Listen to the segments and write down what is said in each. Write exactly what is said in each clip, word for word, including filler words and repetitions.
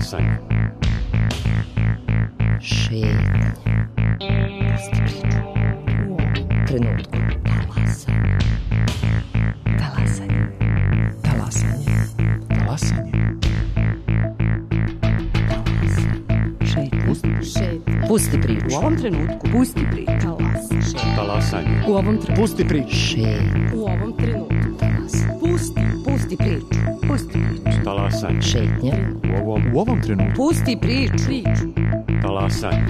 Talasanje. Šetnje. Pusti priču. U ovom trenutku. Talasanje. Talasanje. Talasanje. Talasanje. Šetnje. Pusti priču. U ovom trenutku. Pusti priču. Talasanje. Talasanje. U ovom trenutku. Pusti priču. Šetnje. U ovom trenutku. Talasanje. Pusti. Pusti priču. Pusti priču. Talasanje. Šetnje. U ovom, u ovom trenutku. Pusti priču. Priču. Talasanje.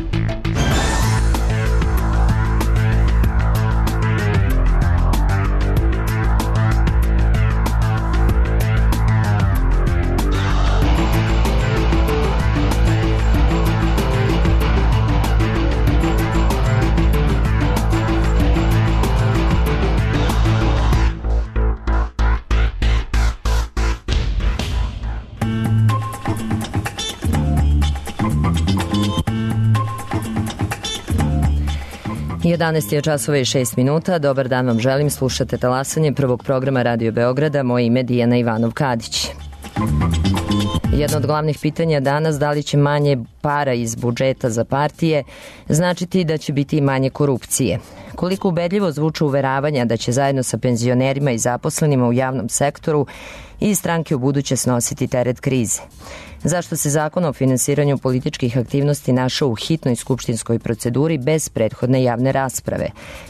jedanaest je časova i šest minuta. Dobar dan vam želim. Slušate Talasanje prvog programa Radio Beograda. Moje ime je Dijana Ivanov-Kadić. Jedno od glavnih pitanja danas, da li će manje para iz budžeta za partije značiti da će biti i manje korupcije? Koliko ubedljivo zvuče uveravanja da će zajedno sa penzionerima i zaposlenima u javnom sektoru i stranke u buduće snositi teret krize? Zašto se zakon o finansiranju političkih aktivnosti našao u hitnoj skupštinskoj proceduri bez prethodne javne rasprave?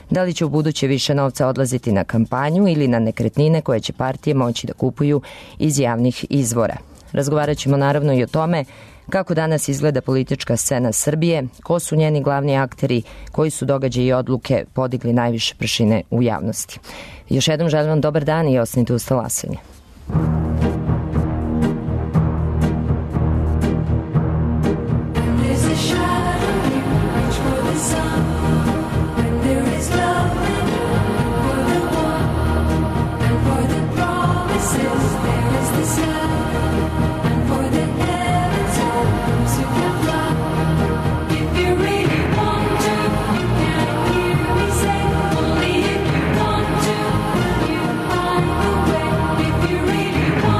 Da li će u buduće više novca odlaziti na kampanju ili na nekretnine koje će partije moći da kupuju iz javnih izvora? Razgovarat ćemo naravno i o tome kako danas izgleda politička scena Srbije, ko su njeni glavni akteri, koji su događaji i odluke podigli najviše prašine u javnosti. Još jednom želim vam dobar dan i ostanite uz Talasanje. If you really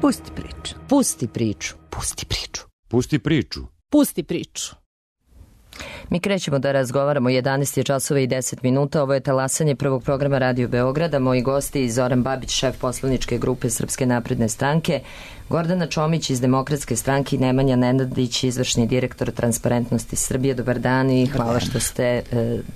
Pusti priču. Pusti priču. Pusti priču. Pusti priču. Pusti priču. Mi krećemo da razgovaramo jedanaest je časova i deset minuta. Ovo je talasanje prvog programa Radio Beograda. Moji gosti Zoran Babić, šef poslaničke grupe Srpske napredne stranke, Gordana Čomić iz Demokratske stranke i Nemanja Nenadić, izvršni direktor Transparentnosti Srbije. Dobar dan i hvala što ste e,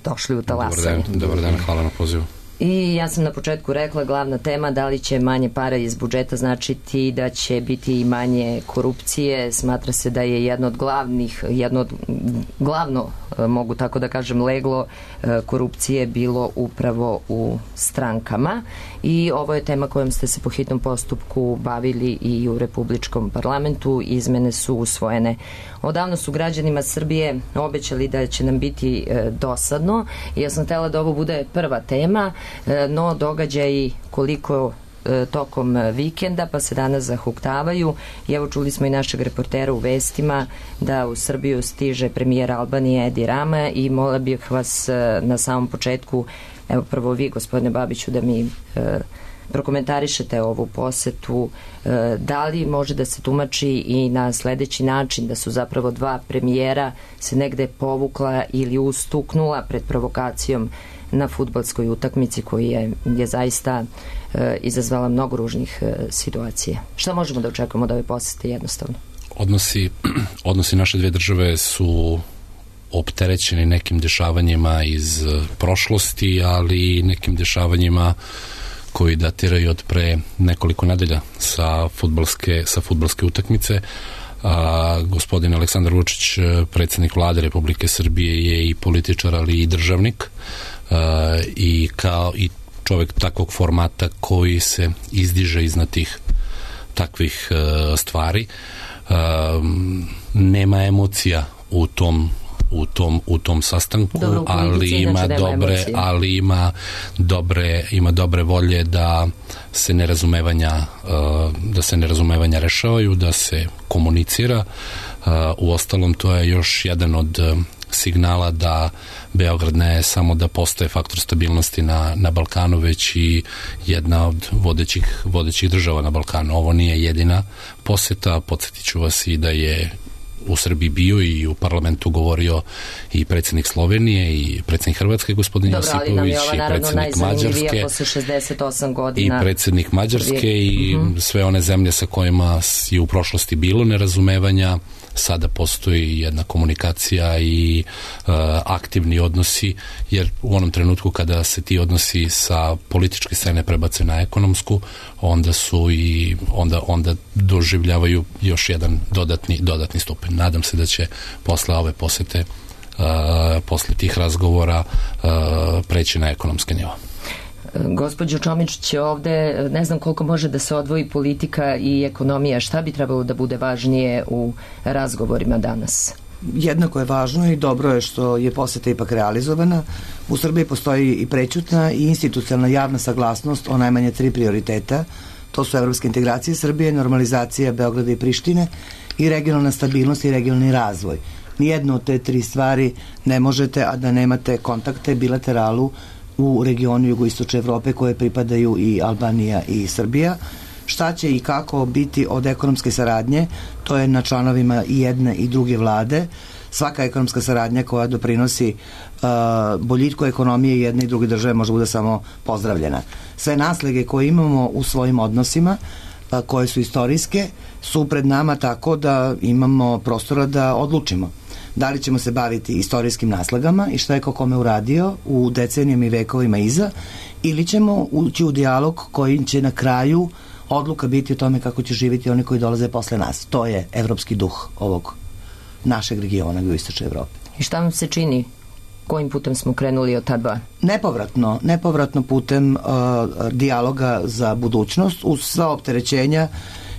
došli u talasanje. Dobar dan, dobar dan, hvala na pozivu. I ja sam na početku rekla, glavna tema, da li će manje para iz budžeta značiti da će biti i manje korupcije. Smatra se da je jedno od glavnih, jedno od glavno, mogu tako da kažem, leglo korupcije bilo upravo u strankama. I ovo je tema kojom ste se po hitnom postupku bavili i u Republičkom parlamentu. Izmene su usvojene. Odavno su građanima Srbije obećali da će nam biti e, dosadno. Ja sam htjela da ovo bude prva tema, e, no događaji koliko e, tokom vikenda, pa se danas zahuktavaju. I evo čuli smo i našeg reportera u vestima da u Srbiju stiže premijer Albanije Edi Rama i mola bih vas e, na samom početku, evo prvo vi gospodine Babiću, da mi e, prokomentarišete ovu posetu, e, da li može da se tumači i na sledeći način da su zapravo dva premijera se negde povukla ili ustuknula pred provokacijom na fudbalskoj utakmici koji je, je zaista e, izazvala mnogo ružnih e, situacija. Šta možemo da očekujemo od ove posete jednostavno? Odnosi, odnosi naše dve države su opterećeni nekim dešavanjima iz prošlosti, ali i nekim dešavanjima koji datiraju od pre nekoliko nedelja sa fudbalske, sa fudbalske utakmice. A, gospodin Aleksandar Vučić, predsjednik vlade Republike Srbije, je i političar, ali i državnik, a, i kao i čovjek takvog formata koji se izdiže iznad tih takvih a, stvari. A, nema emocija u tom u tom u tom sastanku. Dobro, ali ima dobre emocije. ali ima dobre ima dobre volje da se nerazumevanja da se nerazumevanja rešavaju, da se komunicira. U ostalom, to je još jedan od signala da Beograd ne samo da postaje faktor stabilnosti na, na Balkanu, već i jedna od vodećih, vodećih država na Balkanu. Ovo nije jedina poseta, podsjetit ću vas i da je u Srbiji bio i u parlamentu govorio i predsjednik Slovenije i predsjednik Hrvatske gospodin Dobro, Josipović i predsjednik Mađarske posle šezdeset osam godina i predsjednik Mađarske i uh-huh. sve one zemlje sa kojima je u prošlosti bilo nerazumevanja. Sada postoji jedna komunikacija i uh, aktivni odnosi, jer u onom trenutku kada se ti odnosi sa političke scene prebace na ekonomsku, onda su i onda, onda doživljavaju još jedan dodatni, dodatni stupanj. Nadam se da će posle ove posete, uh, posle tih razgovora uh, preći na ekonomske nivo. Gospođo Čomić, će ovde, ne znam koliko može da se odvoji politika i ekonomija. Šta bi trebalo da bude važnije u razgovorima danas? Jednako je važno i dobro je što je poseta ipak realizovana. U Srbiji postoji i prećutna i institucionalna javna saglasnost o najmanje tri prioriteta. To su evropske integracije Srbije, normalizacija Beograda i Prištine i regionalna stabilnost i regionalni razvoj. Nijedno od te tri stvari ne možete, a da nemate kontakte, bilateralu u regionu jugoistočne Evrope koje pripadaju i Albanija i Srbija. Šta će i kako biti od ekonomske saradnje, to je na članovima i jedne i druge vlade. Svaka ekonomska saradnja koja doprinosi uh, boljitku ekonomije jedne i druge države može bude samo pozdravljena. Sve naslege koje imamo u svojim odnosima, uh, koje su istorijske, su pred nama tako da imamo prostora da odlučimo. Da li ćemo se baviti istorijskim naslagama i šta je ko kome uradio u decenijama i vekovima iza, ili ćemo ući u dijalog koji će na kraju odluka biti o tome kako će živjeti oni koji dolaze posle nas. To je evropski duh ovog našeg regiona u istočnoj Evropi. I šta vam se čini? Kojim putem smo krenuli od ta dva? Nepovratno, nepovratno putem uh, dijaloga za budućnost, uz sva opterećenja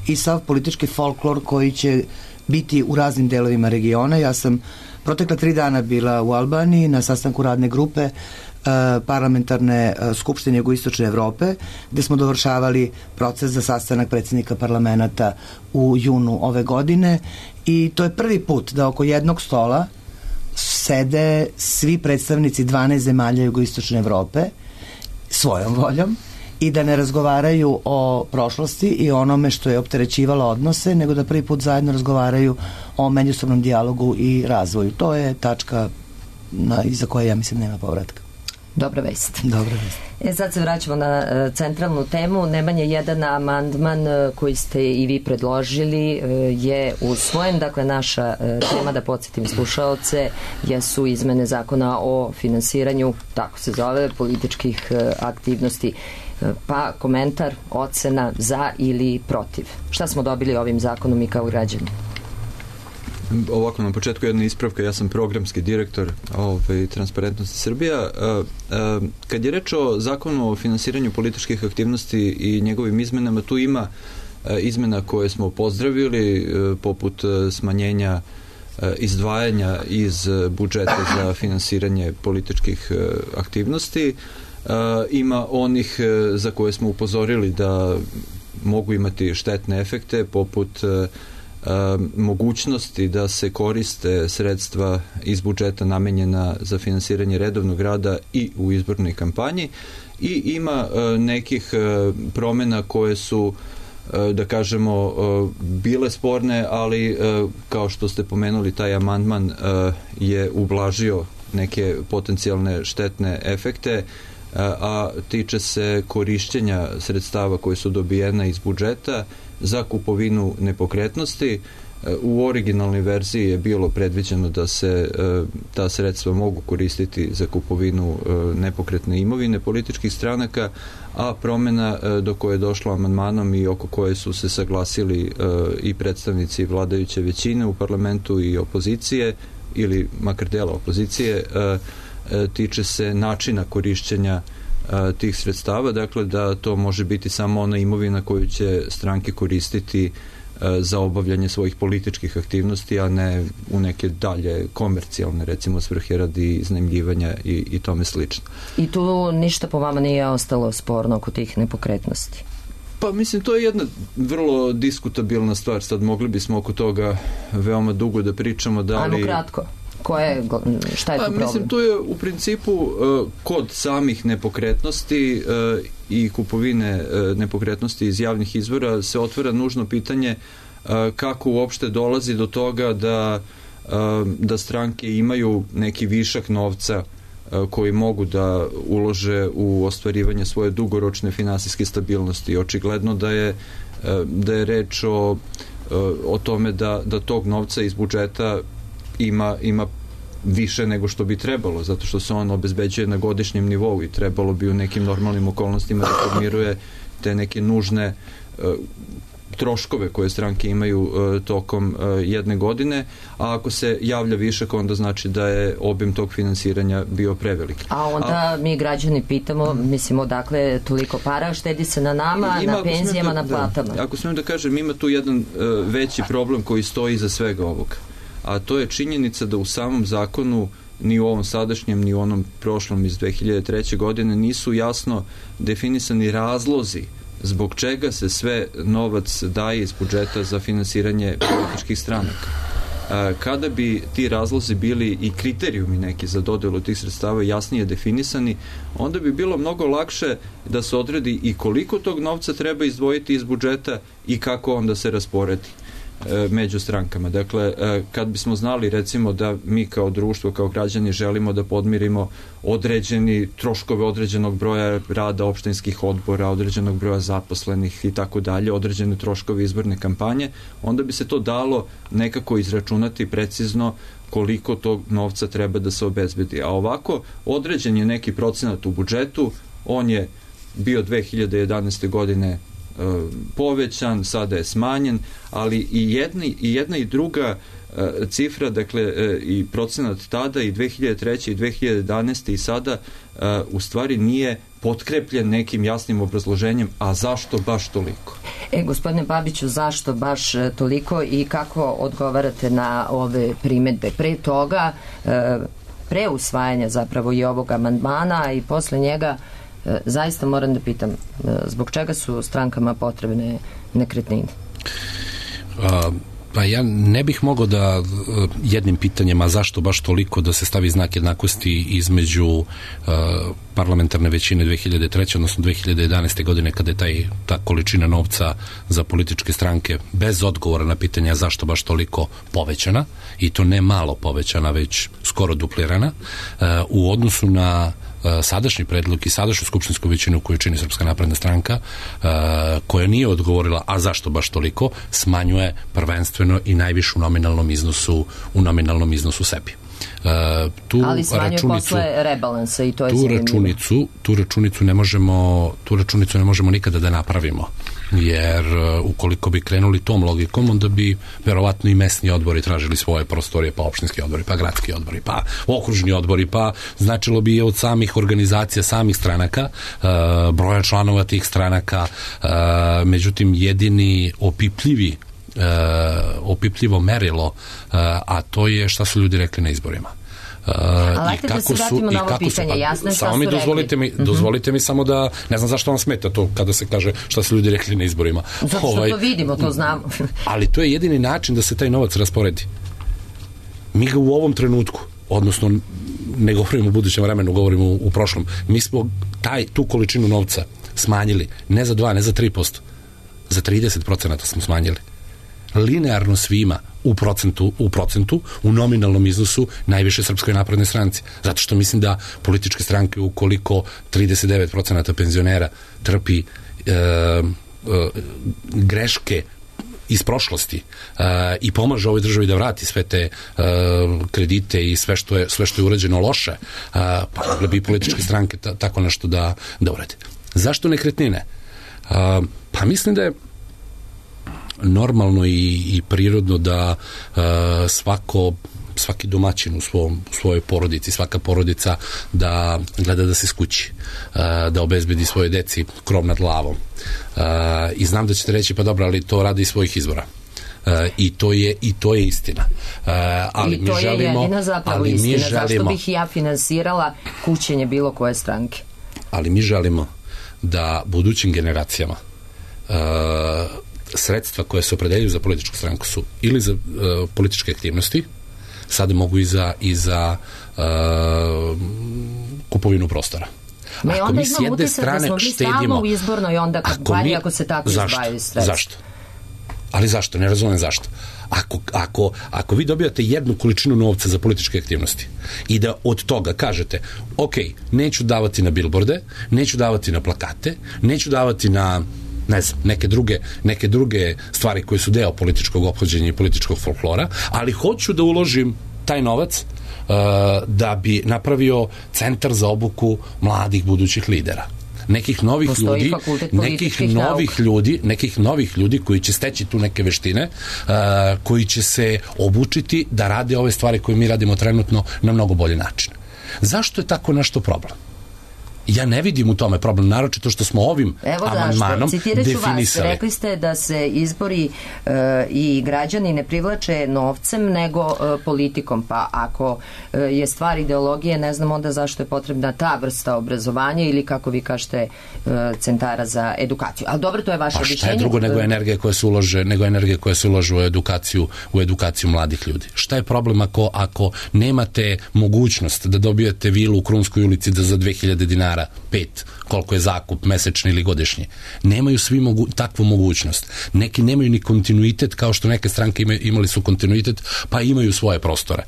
i sav politički folklor koji će biti u raznim delovima regiona. Ja sam protekla tri dana bila u Albaniji na sastanku radne grupe uh, parlamentarne uh, skupštine jugoistočne Evrope, gde smo dovršavali proces za sastanak predsjednika parlamenta u junu ove godine, i to je prvi put da oko jednog stola sede svi predstavnici dvanaest zemalja jugoistočne Evrope svojom voljom i da ne razgovaraju o prošlosti i onome što je opterećivalo odnose, nego da prvi put zajedno razgovaraju o međusobnom dijalogu i razvoju. To je tačka na, iza koje ja mislim nema povratka. Dobra vest. Dobra vest. E, sad se vraćamo na uh, centralnu temu. Nemanje jedan amandman uh, koji ste i vi predložili uh, je usvojen. Dakle, naša uh, tema, da podsjetim slušaoce, jesu izmene zakona o finansiranju, tako se zove, političkih uh, aktivnosti. Uh, pa komentar, ocena za ili protiv. Šta smo dobili ovim zakonom i kao građani? Ovako, na početku jedna ispravka, ja sam programski direktor ovaj, Transparentnosti Srbija. Kad je reč o zakonu o finansiranju političkih aktivnosti i njegovim izmenama, tu ima izmena koje smo pozdravili, poput smanjenja izdvajanja iz budžeta za finansiranje političkih aktivnosti. Ima onih za koje smo upozorili da mogu imati štetne efekte, poput mogućnosti da se koriste sredstva iz budžeta namenjena za finansiranje redovnog rada i u izbornoj kampanji, i ima nekih promena koje su, da kažemo, bile sporne, ali kao što ste pomenuli, taj amandman je ublažio neke potencijalne štetne efekte, a tiče se korišćenja sredstava koje su dobijena iz budžeta za kupovinu nepokretnosti. U originalnoj verziji je bilo predviđeno da se ta sredstva mogu koristiti za kupovinu nepokretne imovine političkih stranaka, a promena do koje je došlo amandmanom i oko koje su se saglasili i predstavnici vladajuće većine u parlamentu i opozicije, ili makar dela opozicije, tiče se načina korišćenja tih sredstava, dakle da to može biti samo ona imovina koju će stranke koristiti za obavljanje svojih političkih aktivnosti, a ne u neke dalje komercijalne, recimo svrhe radi iznajmljivanja i, i tome slično. I tu ništa po vama nije ostalo sporno oko tih nepokretnosti? Pa mislim, to je jedna vrlo diskutabilna stvar. Sad mogli bismo oko toga veoma dugo da pričamo. Da li... Ajmo kratko. Koje, šta je tu problem? Mislim, to je u principu uh, kod samih nepokretnosti uh, i kupovine uh, nepokretnosti iz javnih izvora se otvara nužno pitanje uh, kako uopšte dolazi do toga da, uh, da stranke imaju neki višak novca uh, koji mogu da ulože u ostvarivanje svoje dugoročne finansijske stabilnosti. Očigledno da je, uh, da je reč o, uh, o tome da, da tog novca iz budžeta ima, ima više nego što bi trebalo, zato što se on obezbeđuje na godišnjem nivou i trebalo bi u nekim normalnim okolnostima da podmiruje te neke nužne uh, troškove koje stranke imaju uh, tokom uh, jedne godine, a ako se javlja višak, onda znači da je obim tog finansiranja bio prevelik. A onda a, mi građani pitamo, mislim, odakle toliko para, štedi se na nama, ima, na penzijama, da, na platama. Da, ako smijem da kažem, ima tu jedan uh, veći problem koji stoji iza svega ovoga, a to je činjenica da u samom zakonu, ni u ovom sadašnjem, ni u onom prošlom iz dve hiljade treće. godine, nisu jasno definisani razlozi zbog čega se sve novac daje iz budžeta za finansiranje političkih stranaka. Kada bi ti razlozi bili i kriterijumi neki za dodelu tih sredstava jasnije definisani, onda bi bilo mnogo lakše da se odredi i koliko tog novca treba izdvojiti iz budžeta i kako onda se rasporedi među strankama. Dakle, kad bismo znali, recimo, da mi kao društvo, kao građani želimo da podmirimo određeni troškove određenog broja rada opštinskih odbora, određenog broja zaposlenih i tako dalje, određene troškove izborne kampanje, onda bi se to dalo nekako izračunati precizno koliko tog novca treba da se obezbedi. A ovako, određen je neki procenat u budžetu, on je bio dve hiljade jedanaeste. godine povećan, sada je smanjen, ali i jedna i, jedna i druga uh, cifra, dakle uh, i procenat tada i dve hiljade treće. i dve hiljade jedanaeste. i sada uh, u stvari nije potkrepljen nekim jasnim obrazloženjem, a zašto baš toliko? E, gospodine Babiću, zašto baš toliko i kako odgovarate na ove primedbe? Pre toga, uh, pre usvajanja zapravo i ovog amandmana i posle njega, zaista moram da pitam, zbog čega su strankama potrebne nekretnine? A, Pa ja ne bih mogao da jednim pitanjem, a zašto baš toliko, da se stavi znak jednakosti između uh, parlamentarne većine dve hiljade treće odnosno dve hiljade jedanaeste godine, kada je taj, ta količina novca za političke stranke bez odgovora na pitanja zašto baš toliko povećana, i to ne malo povećana, već skoro duplirana, uh, u odnosu na sadašnji predlog i sadašnju skupštinsku većinu koju čini Srpska napredna stranka, koja nije odgovorila a zašto baš toliko, smanjuje prvenstveno i najviše u nominalnom iznosu u nominalnom iznosu sebi. Uh, tu ali smanjuje računicu, posle rebalansa i to je tu zanimljivo. računicu, tu računicu ne možemo tu računicu ne možemo nikada da napravimo, jer uh, ukoliko bi krenuli tom logikom, onda bi verovatno i mesni odbori tražili svoje prostorije, pa opštinski odbori, pa gradski odbori, pa okružni odbori, pa značilo bi od samih organizacija, samih stranaka, uh, broja članova tih stranaka, uh, međutim jedini opipljivi Uh, opipljivo merilo, uh, a to je šta su ljudi rekli na izborima. Uh, Ali da se vratimo na ovo pitanje, jasno je šta su mi rekli. Dozvolite mi, mm-hmm. dozvolite mi samo da, ne znam zašto vam smeta to kada se kaže šta su ljudi rekli na izborima. Zato što ovaj, to vidimo, to znamo. Ali to je jedini način da se taj novac rasporedi. Mi ga u ovom trenutku, odnosno ne govorimo u budućem vremenu, govorimo u, u prošlom, mi smo taj, tu količinu novca smanjili, ne za dva, ne za tri posto, za trideset procenata smo smanjili. Linearno svima u procentu, u procentu, u nominalnom iznosu najviše Srpskoj naprednoj stranci. Zato što mislim da političke stranke, ukoliko trideset devet procenata penzionera trpi e, e, greške iz prošlosti uh, i pomaže ovoj državi da vrati sve te uh, kredite i sve što je, sve što je urađeno loše, uh, pa mogle bi političke stranke ta, tako nešto da, da urade. Zašto nekretnine? Uh, pa mislim da je normalno i, i prirodno da uh, svako svaki domaćin u, svom, u svojoj porodici, svaka porodica da gleda da se skući, uh, da obezbedi svoje deci krov nad glavom. Uh, I znam da ćete reći, pa dobro, ali to radi iz svojih izbora. Uh, i to je i to je istina. Uh, ali I to mi želimo, je jedina zapravo ali istina. Mi želimo, zašto bih ja finansirala kućenje bilo koje stranke? Ali mi želimo da budućim generacijama uh, sredstva koje se opredeljuju za političku stranku su ili za uh, političke aktivnosti, sada mogu i za, i za uh, kupovinu prostora. Me ako onda mi s jedne strane da štedimo, u izbornoj onda kampanji ako, ako se tako izbaju sredstva. Zašto? Ali zašto? Ne razumem zašto. Ako, ako, ako vi dobijate jednu količinu novca za političke aktivnosti i da od toga kažete, ok, neću davati na bilborde, neću davati na plakate, neću davati na ne znam, neke druge, neke druge stvari koje su deo političkog ophođenja i političkog folklora, ali hoću da uložim taj novac uh, da bi napravio centar za obuku mladih budućih lidera. Nekih novih Postoji ljudi, nekih novih nauka. ljudi, nekih novih ljudi koji će steći tu neke veštine, uh, koji će se obučiti da rade ove stvari koje mi radimo trenutno na mnogo bolji način. Zašto je tako nešto problem? Ja ne vidim u tome problem, naročito što smo ovim amandmanom definisali. Vas, rekli ste da se izbori e, i građani ne privlače novcem, nego e, politikom. Pa ako e, je stvar ideologije, ne znam onda zašto je potrebna ta vrsta obrazovanja ili, kako vi kažete, e, centara za edukaciju. Ali dobro, to je vaše objašnjenje. Pa šta je drugo nego energije koje se ulože, nego energije koje se ulože u edukaciju, u edukaciju mladih ljudi? Šta je problem ako, ako nemate mogućnost da dobijete vilu u Krunskoj ulici da za dve hiljade dinara pet, koliko je zakup mesečni ili godišnji. Nemaju svi mogu, takvu mogućnost. Neki nemaju ni kontinuitet, kao što neke stranke imaju, imali su kontinuitet, pa imaju svoje prostore,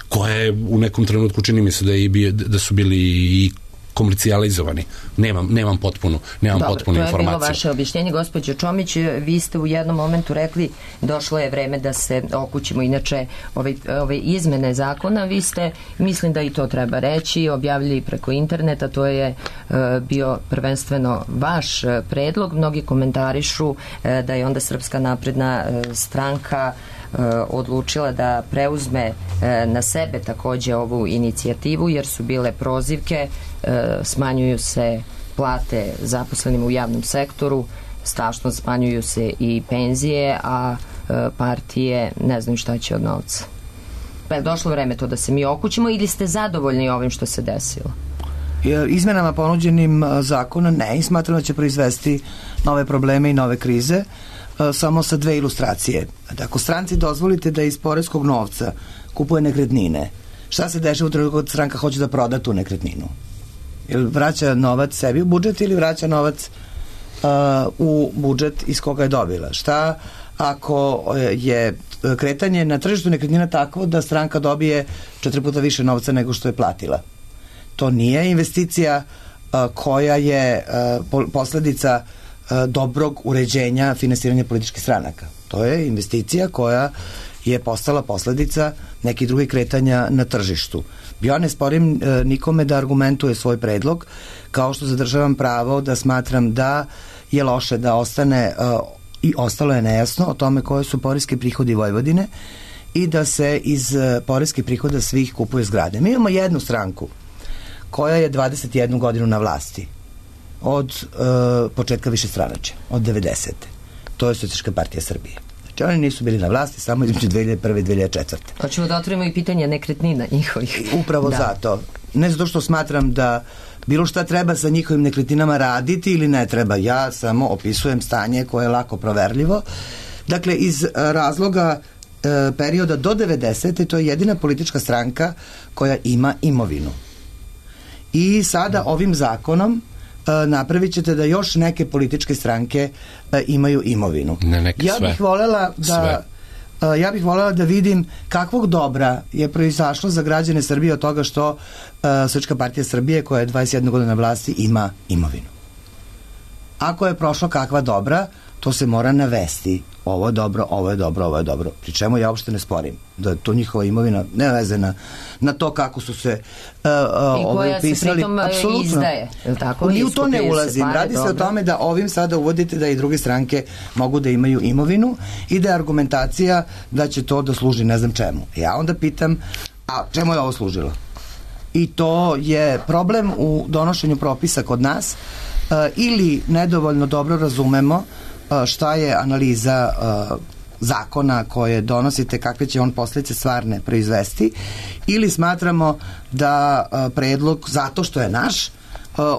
koje u nekom trenutku čini mi se da, je, da su bili i komercijalizovani. Nemam, nemam potpunu, nemam Dobar, potpunu informaciju. To je bilo vaše objašnjenje. Gospođo Čomić, vi ste u jednom momentu rekli došlo je vreme da se okućimo. Inače, ove, ove izmene zakona, vi ste, mislim da i to treba reći, objavili preko interneta, to je uh, bio prvenstveno vaš predlog. Mnogi komentarišu uh, da je onda Srpska napredna uh, stranka odlučila da preuzme na sebe takođe ovu inicijativu, jer su bile prozivke, smanjuju se plate zaposlenim u javnom sektoru, strašno smanjuju se i penzije, a partije ne znaju šta će od novca. Pa je došlo vreme to da se mi okućimo ili ste zadovoljni ovim što se desilo? Izmenama ponuđenim zakona ne, i smatram da će proizvesti nove probleme i nove krize. samo sa dve ilustracije. Ako stranci dozvolite da iz poreskog novca kupuje nekretnine, šta se dešava u trenutku kad stranka hoće da proda tu nekretninu? Ili vraća novac sebi u budžet ili vraća novac uh, u budžet iz koga je dobila? Šta ako je kretanje na tržištu nekretnina takvo da stranka dobije četiri puta više novca nego što je platila? To nije investicija uh, koja je uh, posledica uh, dobrog uređenja finansiranja političkih stranaka. To je investicija koja je postala posledica nekih drugih kretanja na tržištu. Ja ne sporim e, nikome da argumentuje svoj predlog, kao što zadržavam pravo da smatram da je loše da ostane e, i ostalo je nejasno o tome koje su poreski prihodi Vojvodine i da se iz e, poreskih prihoda svih kupuje zgrade. Mi imamo jednu stranku koja je dvadeset jednu godinu na vlasti od e, početka višestranačja, od devedesete. To je Socijalistička partija Srbije. Znači, oni nisu bili na vlasti samo između dve hiljade prve i dve hiljade četvrte. Hoćemo da otvorimo i pitanje nekretnina njihovih. Upravo da. Zato. Ne zato što smatram da bilo šta treba sa njihovim nekretninama raditi ili ne treba. Ja samo opisujem stanje koje je lako proverljivo. Dakle, iz razloga e, perioda do devedesete to je jedina politička stranka koja ima imovinu. I sada ovim zakonom napravit ćete da još neke političke stranke imaju imovinu. Ne, neke ja sve. bih voljela da sve. ja bih voljela da vidim kakvog dobra je proizašlo za građane Srbije od toga što Socijalistička partija Srbije, koja je dvadeset jedna godina na vlasti, ima imovinu. Ako je prošlo kakva dobra, to se mora navesti. Ovo je dobro, ovo je dobro, ovo je dobro. Pri čemu ja uopšte ne sporim da je to njihova imovina ne veze na, na to kako su se uh, uh, ovo upisali. I koja se pritom apsolutno izdaje. Tako? Ni u to ne ulazim. Pare, Radi dobro. se o tome da ovim sada uvodite da i druge stranke mogu da imaju imovinu i da je argumentacija da će to da služi ne znam čemu. Ja onda pitam, a čemu je ovo služilo? I to je problem u donošenju propisa kod nas uh, ili nedovoljno dobro razumemo šta je analiza uh, zakona koje donosite, kakve će on posljedice stvarne proizvesti, ili smatramo da uh, predlog, zato što je naš, uh,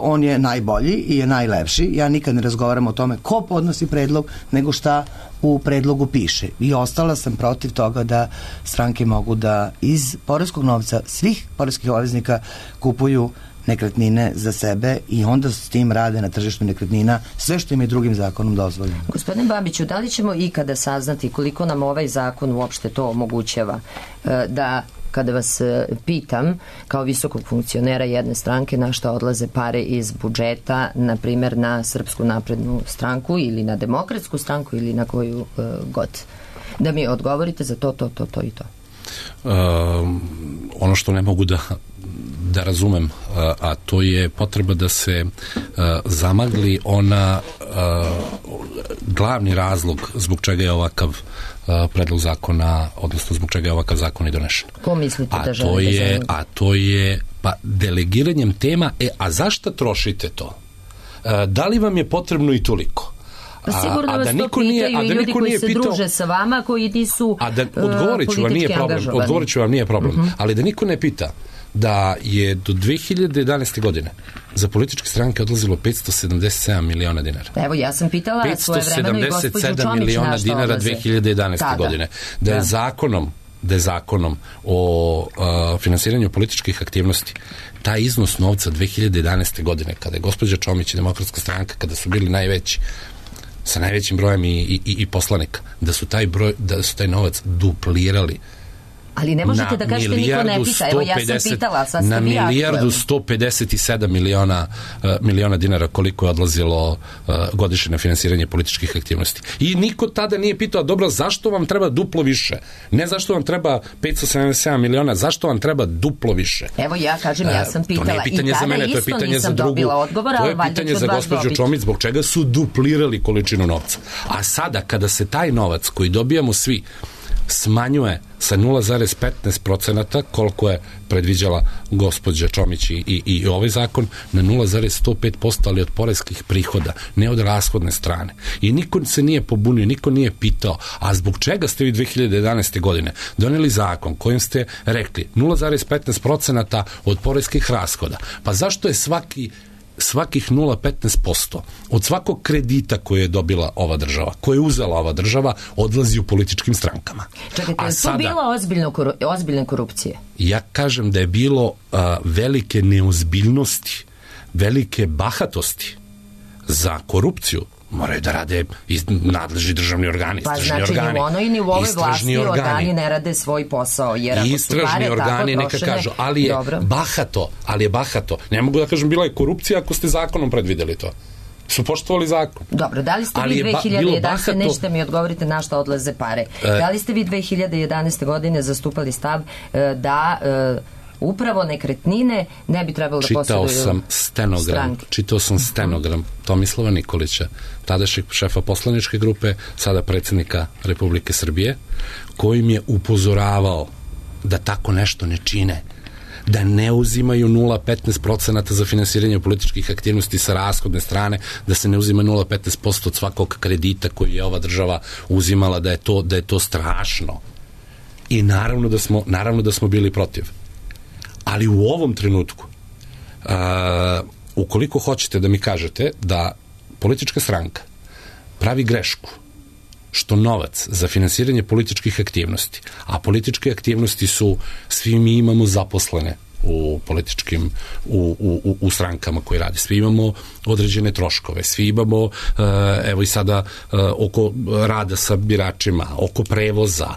on je najbolji i je najlepši. Ja nikad ne razgovaram o tome ko podnosi predlog, nego šta u predlogu piše. I ostala sam protiv toga da stranke mogu da iz poreskog novca svih poreskih obveznika kupuju nekretnine za sebe i onda s tim rade na tržištu nekretnina sve što im je drugim zakonom dozvoljeno. Gospodine Babiću, da li ćemo ikada saznati koliko nam ovaj zakon uopšte to omogućava da kada vas pitam kao visokog funkcionera jedne stranke na šta odlaze pare iz budžeta, na primjer na Srpsku naprednu stranku ili na Demokratsku stranku ili na koju uh, god, da mi odgovorite za to, to, to, to i to. Uh, ono što ne mogu da da razumem, a to je potreba da se zamagli ona glavni razlog zbog čega je ovakav predlog zakona, odnosno zbog čega je ovakav zakon i donešen. Ko mislite a da želite to je, zamagli? A to je pa delegiranjem tema, e, a zašto trošite to? Da li vam je potrebno i toliko? Pa sigurno vas to pitaju i ljudi koji se pitao, druže sa vama, koji nisu a da, odgovorit ću vam, nije problem, odgovorit ću vam, nije problem, uh-huh. ali da niko ne pita da je do dve hiljade jedanaeste. godine za političke stranke odlazilo petsto sedamdeset sedam miliona dinara. Evo, ja sam pitala svoje vremeno i gospođu Čomić petsto sedamdeset sedam miliona dinara dve hiljade jedanaeste. Tada. godine. Da je da. zakonom da je zakonom o uh, finansiranju političkih aktivnosti taj iznos novca dve hiljade jedanaeste. godine, kada je gospođa Čomić i Demokratska stranka, kada su bili najveći, sa najvećim brojem i, i, i poslanika, da su taj broj, da su taj novac duplirali. Ali ne možete da kažete niko ne pita. Evo, ja sam pitala, sad ste na vi milijardu sto pedeset sedam miliona, uh, miliona dinara koliko je odlazilo uh, godišnje na finansiranje političkih aktivnosti. I niko tada nije pitao, dobro, zašto vam treba duplo više? Ne zašto vam treba petsto sedamdeset sedam miliona, zašto vam treba duplo više? Evo, ja kažem, ja sam pitala. To nije pitanje i za mene, to je pitanje za drugu. Odgovora, to je pitanje za gospođu Čomić, zbog čega su duplirali količinu novca. A sada, kada se taj novac koji dobijamo svi smanjuje sa nula zarez petnaest procenata koliko je predviđala gospođa Čomić i, i, i ovaj zakon na nula zarez sto pet posto, ali od poreskih prihoda, ne od rashodne strane. I niko se nije pobunio, niko nije pitao, a zbog čega ste vi dve hiljade jedanaeste. godine doneli zakon kojim ste rekli nula zarez petnaest procenata od poreskih rashoda? Pa zašto je svaki svakih nula zarez petnaest posto od svakog kredita koje je dobila ova država, koje je uzela ova država, odlazi u političkim strankama. Čekajte, je to bila ozbiljno, ozbiljne korupcije? Ja kažem da je bilo a, velike neozbiljnosti, velike bahatosti za korupciju. Moraju da rade nadležni državni organi. Pa znači organi, ni u onoj ni u ovoj vlasti organi, organi ne rade svoj posao. Jer ako istražni su pare organi tako neka trošene, kažu, ali je dobro. bahato, ali je bahato. Ne mogu da kažem bila je korupcija ako ste zakonom predvideli to. Su poštovali zakon. Dobro, da li ste ali vi dve hiljade jedanaeste, bahato... nećete mi odgovorite na šta odlaze pare, e... da li ste vi dve hiljade jedanaeste godine zastupali stav e, da... E, upravo nekretnine ne bi trebalo da posjeduju Čitao sam stenogram, stranke. Čitao sam stenogram Tomislava Nikolića, tadašnjeg šefa poslaničke grupe, sada predsjednika Republike Srbije, kojim je upozoravao da tako nešto ne čine, da ne uzimaju nula zarez petnaest procenata za finansiranje političkih aktivnosti sa rashodne strane, da se ne uzima nula zarez petnaest posto od svakog kredita koji je ova država uzimala, da je to, da je to strašno. I naravno da smo, naravno da smo bili protiv. Ali u ovom trenutku, a, ukoliko hoćete da mi kažete da politička stranka pravi grešku što novac za finansiranje političkih aktivnosti, a političke aktivnosti su, svi mi imamo zaposlene u političkim, u, u, u strankama koji radi. Svi imamo određene troškove, svi imamo, evo i sada, oko rada sa biračima, oko prevoza,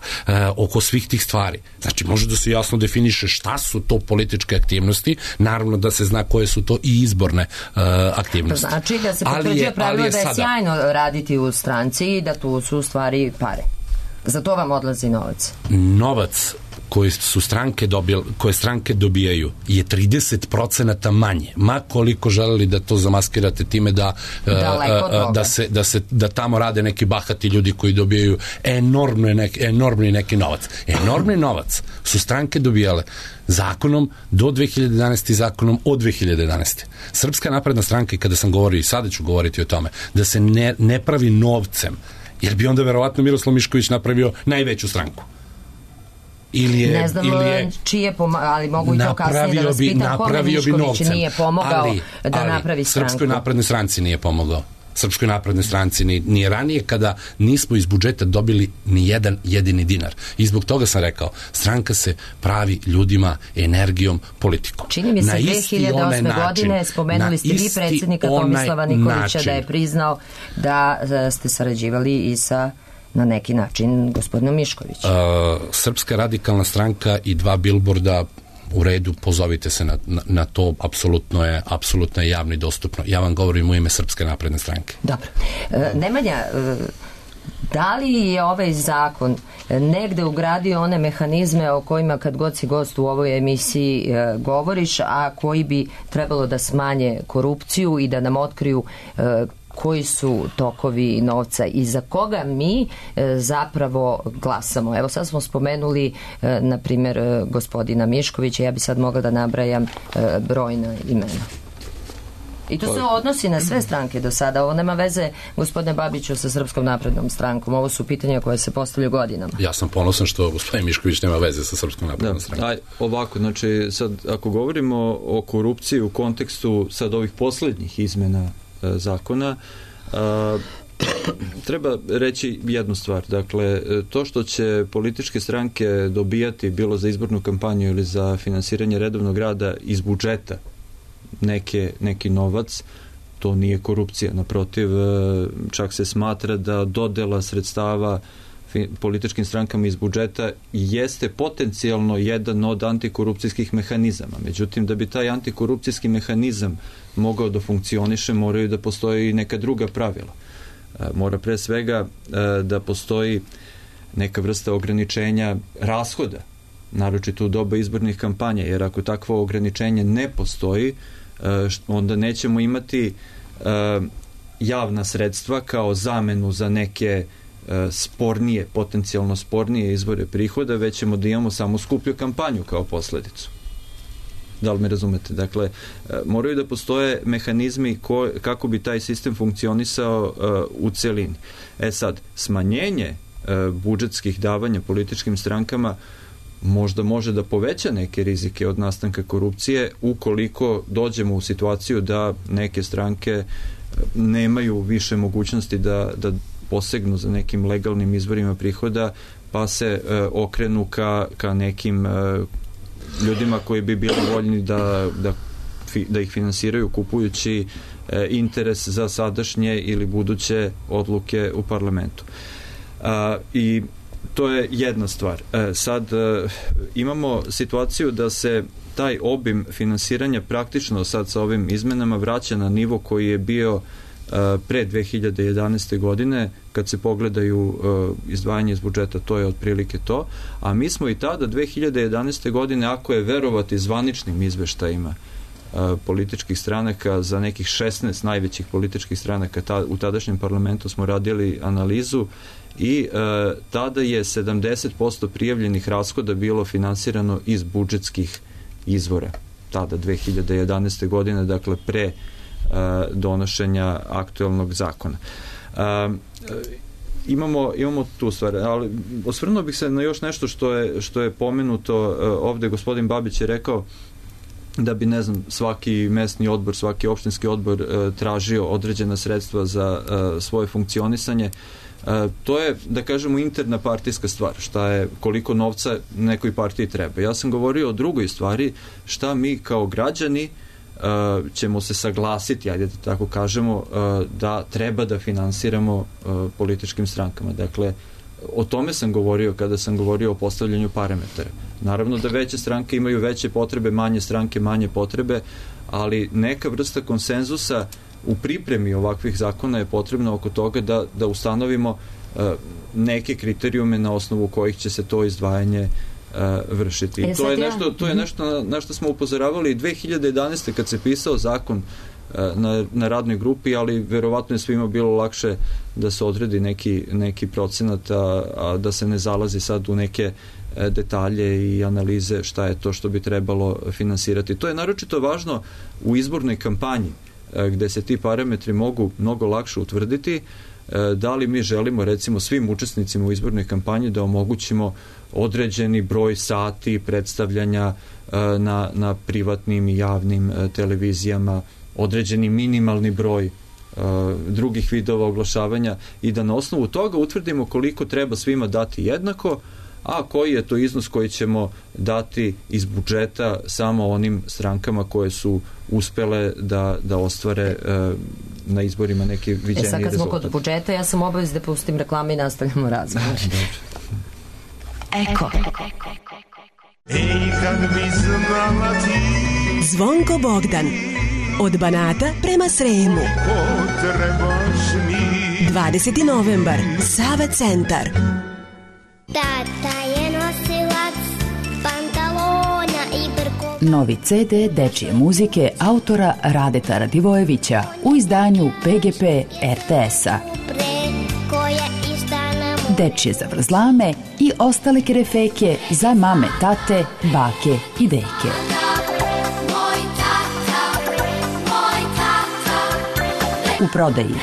oko svih tih stvari. Znači, može da se jasno definiše šta su to političke aktivnosti, naravno da se zna koje su to i izborne aktivnosti. To znači da se potvrđuje pravilo da je sada sjajno raditi u stranci i da tu su stvari pare. Za to vam odlazi novac. Novac koje su stranke dobijali, koje stranke dobijaju je trideset procenata manje. Ma koliko želeli da to zamaskirate time da uh, da se da se da tamo rade neki bahati ljudi koji dobijaju enormni neki enormni neki novac. Enormni novac su stranke dobijale zakonom do dve hiljade jedanaeste i zakonom od dve hiljade jedanaeste. Srpska napredna stranka, i kada sam govorio i sada ću govoriti o tome, da se ne, ne pravi novcem, jer bi onda verovatno Miroslav Mišković napravio najveću stranku. Ili je, ne znam ili je, čije pomagao, ali mogu i to kasnije da vas pitam kome Mišković nije pomogao ali, da ali, napravi stranku. Srpskoj naprednoj stranci nije pomogao. Srpskoj naprednoj stranci ni, ni ranije kada nismo iz budžeta dobili ni jedan jedini dinar. I zbog toga sam rekao, stranka se pravi ljudima, energijom, politikom. Čini mi se dve hiljade osme godine spomenuli ste vi predsjednika Tomislava Nikolića način. Da je priznao da ste sarađivali i sa na neki način gospodinom Miškovićem. Uh, Srpska radikalna stranka i dva bilborda u redu, pozovite se na, na, na to, apsolutno je, apsolutno je javno i dostupno. Ja vam govorim u ime Srpske napredne stranke. Dobro. E, Nemanja, e, da li je ovaj zakon negde ugradio one mehanizme o kojima kad god si gost u ovoj emisiji e, govoriš, a koji bi trebalo da smanje korupciju i da nam otkriju e, koji su tokovi novca i za koga mi e, zapravo glasamo. Evo sad smo spomenuli e, na primjer e, gospodina Miškovića, ja bi sad mogla da nabrajam e, brojna imena. I to se odnosi na sve stranke do sada. Ovo nema veze, gospodine Babiću, sa Srpskom naprednom strankom. Ovo su pitanja koje se postavljaju godinama. Ja sam ponosan što gospodin Mišković nema veze sa Srpskom naprednom strankom. Aj, ovako, znači, sad, ako govorimo o korupciji u kontekstu sad ovih poslednjih izmena zakona, a, treba reći jednu stvar. Dakle, to što će političke stranke dobijati bilo za izbornu kampanju ili za finansiranje redovnog rada iz budžeta neke, neki novac, to nije korupcija. Naprotiv, čak se smatra da dodela sredstava političkim strankama iz budžeta jeste potencijalno jedan od antikorupcijskih mehanizama. Međutim, da bi taj antikorupcijski mehanizam mogao da funkcioniše, moraju da postoji neka druga pravila. Mora pre svega da postoji neka vrsta ograničenja rashoda, naročito u doba izbornih kampanja, jer ako takvo ograničenje ne postoji, onda nećemo imati javna sredstva kao zamenu za neke spornije, potencijalno spornije izvore prihoda, već ćemo da imamo samo skuplju kampanju kao posledicu. Da li me razumete? Dakle, moraju da postoje mehanizmi ko, kako bi taj sistem funkcionisao uh, u celini. E sad, smanjenje uh, budžetskih davanja političkim strankama možda može da poveća neke rizike od nastanka korupcije ukoliko dođemo u situaciju da neke stranke nemaju više mogućnosti da, da posegnu za nekim legalnim izvorima prihoda, pa se e, okrenu ka, ka nekim e, ljudima koji bi bili voljni da, da, fi, da ih finansiraju kupujući e, interes za sadašnje ili buduće odluke u parlamentu. A, i to je jedna stvar. E, sad e, imamo situaciju da se taj obim finansiranja praktično sad sa ovim izmenama vraća na nivo koji je bio e, pre dve hiljade jedanaeste. godine, kad se pogledaju e, izdvajanje iz budžeta, to je otprilike to, a mi smo i tada dve hiljade jedanaeste. godine, ako je verovati zvaničnim izveštajima e, političkih stranaka, za nekih šesnaest najvećih političkih stranaka ta, u tadašnjem parlamentu smo radili analizu i e, tada je sedamdeset posto prijavljenih rashoda bilo finansirano iz budžetskih izvora. Tada dve hiljade jedanaeste. godine, dakle pre e, donošenja aktuelnog zakona. E, imamo, imamo tu stvar, ali osvrnuo bih se na još nešto što je, što je pomenuto e, ovde. Gospodin Babić je rekao da bi, ne znam, svaki mesni odbor, svaki opštinski odbor e, tražio određena sredstva za e, svoje funkcionisanje. Uh, to je, da kažemo, interna partijska stvar, šta je, koliko novca nekoj partiji treba. Ja sam govorio o drugoj stvari, šta mi kao građani uh, ćemo se saglasiti, ajde da tako kažemo, uh, da treba da finansiramo uh, političkim strankama. Dakle, o tome sam govorio kada sam govorio o postavljanju parametara. Naravno da veće stranke imaju veće potrebe, manje stranke manje potrebe, ali neka vrsta konsenzusa u pripremi ovakvih zakona je potrebno oko toga da, da ustanovimo uh, neke kriterijume na osnovu kojih će se to izdvajanje uh, vršiti. E, to je ja. nešto, to je nešto na, na što smo upozoravali i dve hiljade jedanaeste. kad se pisao zakon uh, na, na radnoj grupi, ali verovatno je svima bilo lakše da se odredi neki, neki procenat, a, a da se ne zalazi sad u neke uh, detalje i analize šta je to što bi trebalo finansirati. To je naročito važno u izbornoj kampanji, gde se ti parametri mogu mnogo lakše utvrditi. Da li mi želimo, recimo, svim učesnicima u izbornoj kampanji da omogućimo određeni broj sati predstavljanja na, na privatnim i javnim televizijama, određeni minimalni broj drugih vidova oglašavanja i da na osnovu toga utvrdimo koliko treba svima dati jednako, a koji je to iznos koji ćemo dati iz budžeta samo onim strankama koje su uspele da, da ostvare e, na izborima neki viđeniji rezultat. E sad kad smo kod budžeta, ja sam obavez da pustim reklame i nastavljamo razgovor. Eko. Ej, kad bi znala ti Zvonko Bogdan od Banata prema Sremu. Potrebaš mi dvadeseti novembar, Sava centar. Tata je nosilac pantalona i brko. Novi ce de dečije muzike autora Radeta Radivojevića u izdanju pe ge pe er te es-a. Dečije zavrzlame i ostale kerefeke za mame, tate, bake i deke. U prodaji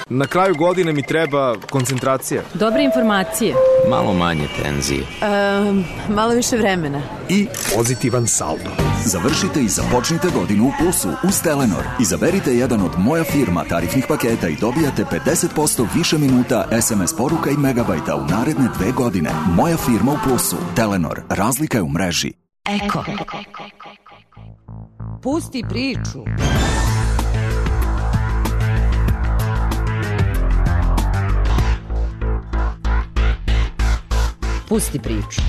Na kraju godine mi treba koncentracija. Dobre informacije. Malo manje tenzije. Um, malo više vremena. I pozitivan saldo. Završite i započnite godinu u plusu uz Telenor. Izaberite jedan od Moja firma tarifnih paketa i dobijate pedeset posto više minuta es em es poruka i megabajta u naredne dve godine. Moja firma u plusu. Telenor. Razlika je u mreži. Eko. Pusti priču. Pusti priču.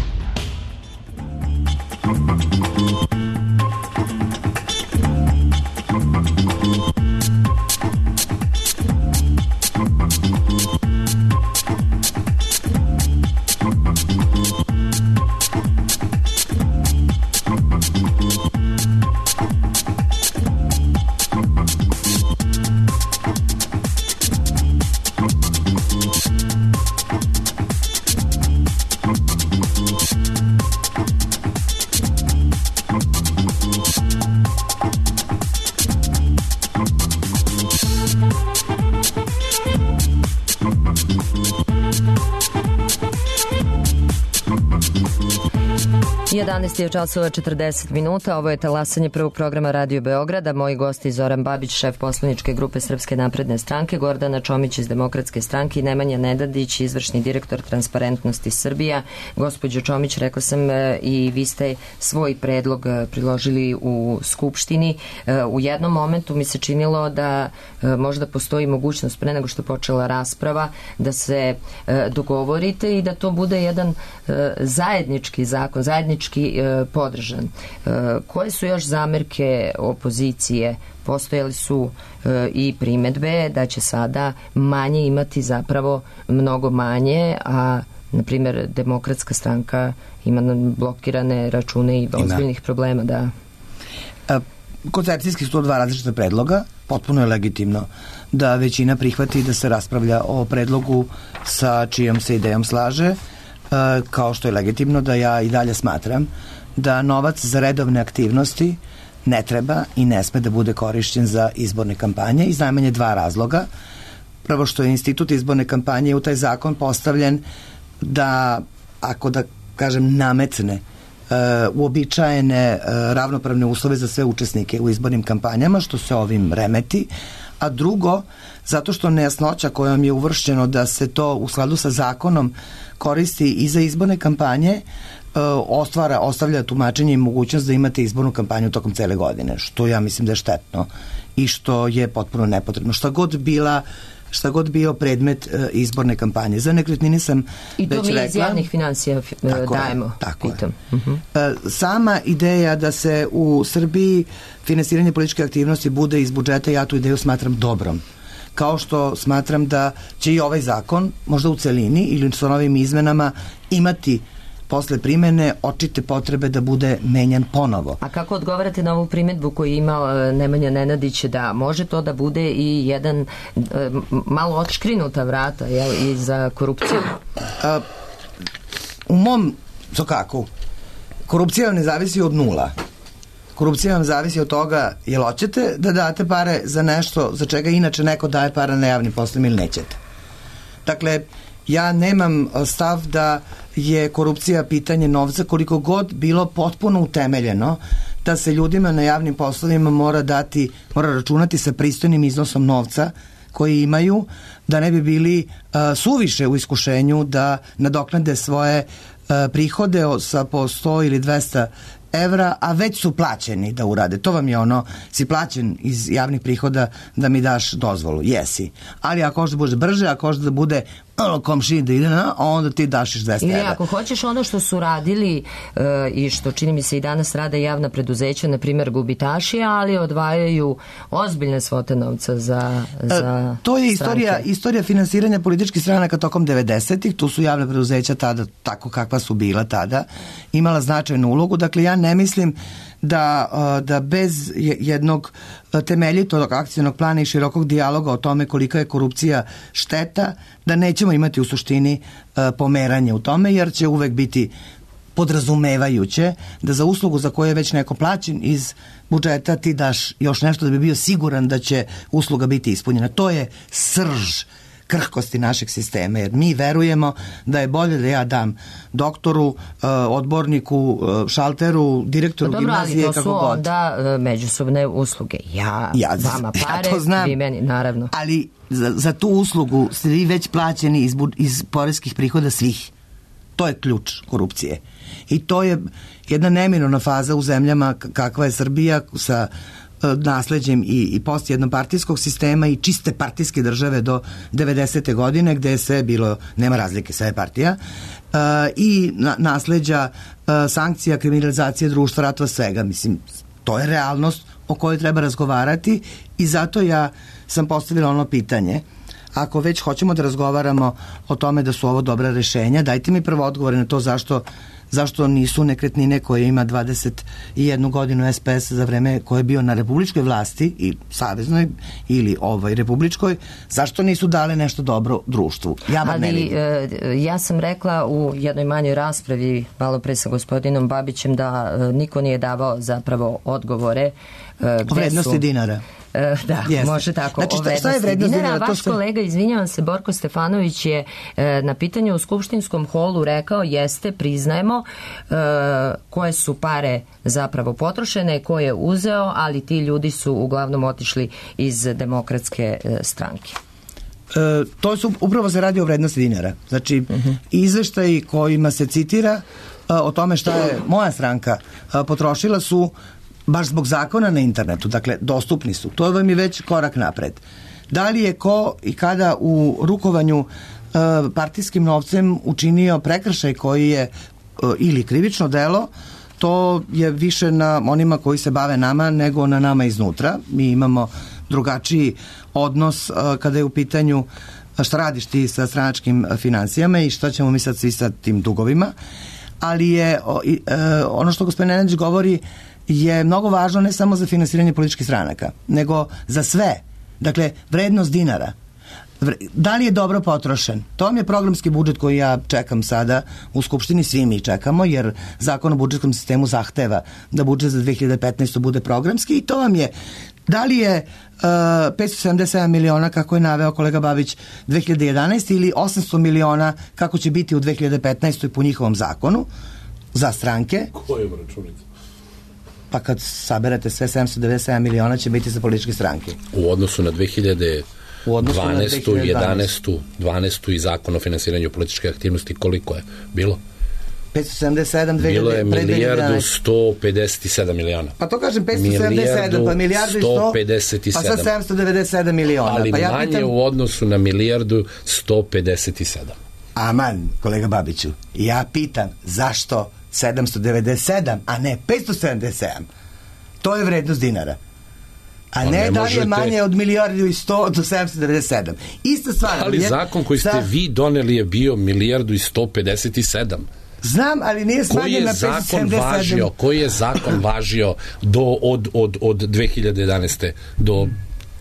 jedanaest je časova četrdeset minuta, ovo je talasanje prvog programa Radio Beograda. Moji gosti Zoran Babić, šef poslaničke grupe Srpske napredne stranke, Gordana Čomić iz Demokratske stranke i Nemanja Nedadić, izvršni direktor Transparentnosti Srbija. Gospođo Čomić, rekla sam i vi ste svoj predlog priložili u Skupštini. U jednom momentu mi se činilo da možda postoji mogućnost pre nego što je počela rasprava da se dogovorite i da to bude jedan zajednički zakon, zajednički podržan. Koje su još zamerke opozicije? Postojali su i primedbe da će sada manje imati zapravo mnogo manje, a na primjer Demokratska stranka ima blokirane račune i ozbiljnih problema. Da. Koncepcijski su to dva različita predloga. Potpuno je legitimno da većina prihvati da se raspravlja o predlogu sa čijom se idejom slaže, kao što je legitimno da ja i dalje smatram da novac za redovne aktivnosti ne treba i ne sme da bude korišćen za izborne kampanje iz najmanje dva razloga. Prvo što je institut izborne kampanje u taj zakon postavljen da, ako da kažem, nametne uh, uobičajene uh, ravnopravne uslove za sve učesnike u izbornim kampanjama, što se ovim remeti, a drugo, zato što nejasnoća kojom je uvršćeno da se to u skladu sa zakonom koristi i za izborne kampanje ostvara, ostavlja tumačenje i mogućnost da imate izbornu kampanju tokom cele godine, što ja mislim da je štetno i što je potpuno nepotrebno. Šta god bila šta god bio predmet uh, izborne kampanje. Za nekretnine sam I već rekla. I to mi iz javnih financija tako dajemo. Je, tako pitam. je. Uh-huh. Uh, sama ideja da se u Srbiji finansiranje političke aktivnosti bude iz budžeta, ja tu ideju smatram dobrom. Kao što smatram da će i ovaj zakon, možda u celini ili sa novim izmenama, imati posle primene očite potrebe da bude menjan ponovo. A kako odgovarate na ovu primedbu koju je imao Nemanja Nenadić, da može to da bude i jedan e, malo otškrinuta vrata, jel, i za korupciju? A, u mom, to kako? Korupcija vam ne zavisi od nula. Korupcija vam zavisi od toga jel hoćete da date pare za nešto za čega inače neko daje para na javnim poslovima ili nećete. Dakle, ja nemam stav da je korupcija pitanje novca, koliko god bilo potpuno utemeljeno da se ljudima na javnim poslovima mora dati, mora računati sa pristojnim iznosom novca koji imaju, da ne bi bili uh, suviše u iskušenju da nadoknade svoje uh, prihode sa po sto ili dvesta evra, a već su plaćeni da urade. To vam je ono, si plaćen iz javnih prihoda da mi daš dozvolu. Jesi. Ali ako hoćeš da bude brže, ako hoćeš da bude komšiji da ide na, onda ti daš iz dvesta evra. Ili ako hoćeš ono što su radili uh, i što čini mi se i danas rade javna preduzeća, na primjer gubitaši, ali odvajaju ozbiljne svote novca za, za uh, to je istorija, istorija finansiranja političkih stranaka tokom devedesetih. Tu su javna preduzeća tada, tako kakva su bila tada, imala značajnu ulogu. Dakle, ja ne mislim da, da bez jednog temeljitog akcionog plana i širokog dijaloga o tome kolika je korupcija šteta, da nećemo imati u suštini pomeranje u tome, jer će uvek biti podrazumevajuće da za uslugu za koju je već neko plaćen iz budžeta ti daš još nešto da bi bio siguran da će usluga biti ispunjena. To je srž krhkosti našeg sistema, jer mi verujemo da je bolje da ja dam doktoru, odborniku, šalteru, direktoru pa dobro, gimnazije, kako god. Dobro, ali to su onda međusobne usluge. Ja, ja vama pare, ja znam, vi meni, naravno. Ali za, za tu uslugu ste vi već plaćeni iz, iz poreskih prihoda svih. To je ključ korupcije. I to je jedna neminovna faza u zemljama kakva je Srbija sa nasleđem i, i post jednopartijskog sistema i čiste partijske države do devedesete godine, gde je sve bilo, nema razlike, sve je partija, uh, i na, nasleđa uh, sankcija, kriminalizacije društva, ratova, svega. Mislim, to je realnost o kojoj treba razgovarati i zato ja sam postavila ono pitanje. Ako već hoćemo da razgovaramo o tome da su ovo dobra rešenja, dajte mi prvo odgovore na to zašto zašto nisu nekretnine koje ima dvadeset jednu godinu S P S za vreme koje je bio na republičkoj vlasti i saveznoj ili ovoj republičkoj, zašto nisu dale nešto dobro društvu? Ja vam ne vidim. Ali ja sam rekla u jednoj manjoj raspravi malo pre sa gospodinom Babićem da niko nije davao zapravo odgovore o vrednosti dinara. da, Jeste. može tako. Znači, o vrednosti šta je vrednost dinara? dinara? Vaš To se... kolega, izvinjavam se, Borko Stefanović je e, na pitanju u skupštinskom holu rekao, jeste, priznajemo e, koje su pare zapravo potrošene, ko je uzeo, ali ti ljudi su uglavnom otišli iz Demokratske e, stranke. E, to su, upravo se radi o vrednosti dinara. Znači, uh-huh. izveštaji kojima se citira a, o tome šta je moja stranka a, potrošila su baš zbog zakona na internetu, dakle, dostupni su. To vam je već korak napred. Da li je ko i kada u rukovanju a, partijskim novcem učinio prekršaj koji je a, ili krivično delo, to je više na onima koji se bave nama nego na nama iznutra. Mi imamo drugačiji odnos uh, kada je u pitanju šta radiš ti sa stranačkim finansijama i šta ćemo mi sad svi sa tim dugovima. Ali je uh, ono što gospodin Nenadić govori je mnogo važno ne samo za finansiranje političkih stranaka, nego za sve. Dakle, vrednost dinara. Da li je dobro potrošen? To vam je programski budžet koji ja čekam sada u Skupštini, svi mi čekamo, jer Zakon o budžetskom sistemu zahteva da budžet za dve hiljade petnaestu bude programski i to vam je, da li je uh, petsto sedamdeset sedam miliona, kako je naveo kolega Babić, dve hiljade jedanaeste ili osamsto miliona kako će biti u dve hiljade petnaestoj po njihovom zakonu za stranke. Koje računice? Pa kad saberete sve, sedamsto devedeset sedam miliona će biti za političke stranke. U odnosu na dve hiljade dvanaestu, jedanaestu, dvanaestu i zakon o finansiranju političke aktivnosti, koliko je bilo? petsto sedamdeset sedam, bilo je milijardu sto pedeset sedam miliona. Pa to kažem petsto sedamdeset sedam, pa milijardu i sto, pa sad sedamsto devedeset sedam miliona. Ali pa ja manje pitam... u odnosu na milijardu sto pedeset sedam. Aman, kolega Babiću, ja pitam zašto sedamsto devedeset sedam, a ne petsto sedamdeset sedam? To je vrednost dinara. A ne, ne da li je manje od milijardu i sto do sedamsto devedeset sedam. Ista stvar. Ali je, zakon koji ste sa... vi doneli je bio milijardu i sto pedeset sedam. Znam, ali nije smanjen na petsto sedamdeset sedam. Važio, koji je zakon važio do, od, od, od dve hiljade jedanaeste do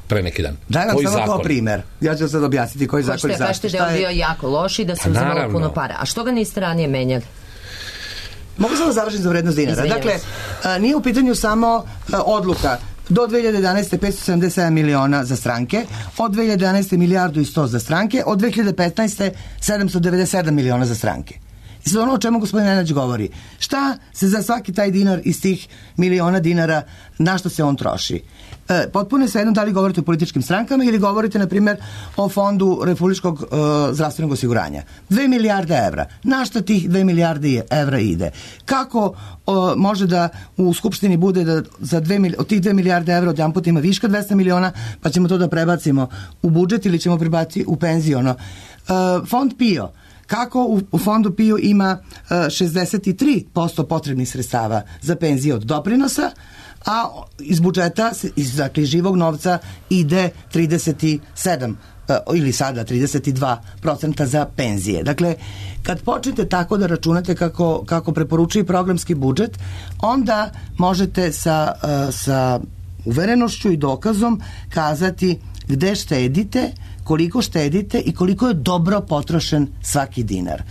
pre neki dan? Daj vam samo kao primer. Ja ću sad objasniti koji zakon je zašto. Kažete da je bio jako loš i da se uzimalo puno para. A što ga niste ranije menjali? Mogu samo završiti za vrednost dinara. Izvinjam dakle, a, nije u pitanju samo a, odluka. Do dve hiljade jedanaeste petsto sedamdeset sedam miliona za stranke, od dve hiljade jedanaeste milijardu i sto za stranke, od dve hiljade petnaeste sedamsto devedeset sedam miliona za stranke. I sad ono o čemu gospodin Nenadić govori, šta se za svaki taj dinar iz tih miliona dinara, na što se on troši? E, potpuno je svejedno da li govorite o političkim strankama ili govorite, na primjer, o fondu Republičkog e, zdravstvenog osiguranja. Dve milijarde evra. Na što tih dve milijarde evra ide? Kako e, može da u Skupštini bude da za dve, od tih dve milijarde evra od jedan puta ima viška dvesta miliona, pa ćemo to da prebacimo u budžet ili ćemo prebaciti u penziono? E, fond PIO. Kako u, u fondu PIO ima uh, šezdeset tri posto potrebnih sredstava za penzije od doprinosa, a iz budžeta, iz dakle, živog novca ide trideset sedam uh, ili sada trideset dva procenta za penzije. Dakle, kad počnete tako da računate kako, kako preporučuje programski budžet, onda možete sa, uh, sa uverenošću i dokazom kazati gde štedite, koliko štedite i koliko je dobro potrošen svaki dinar.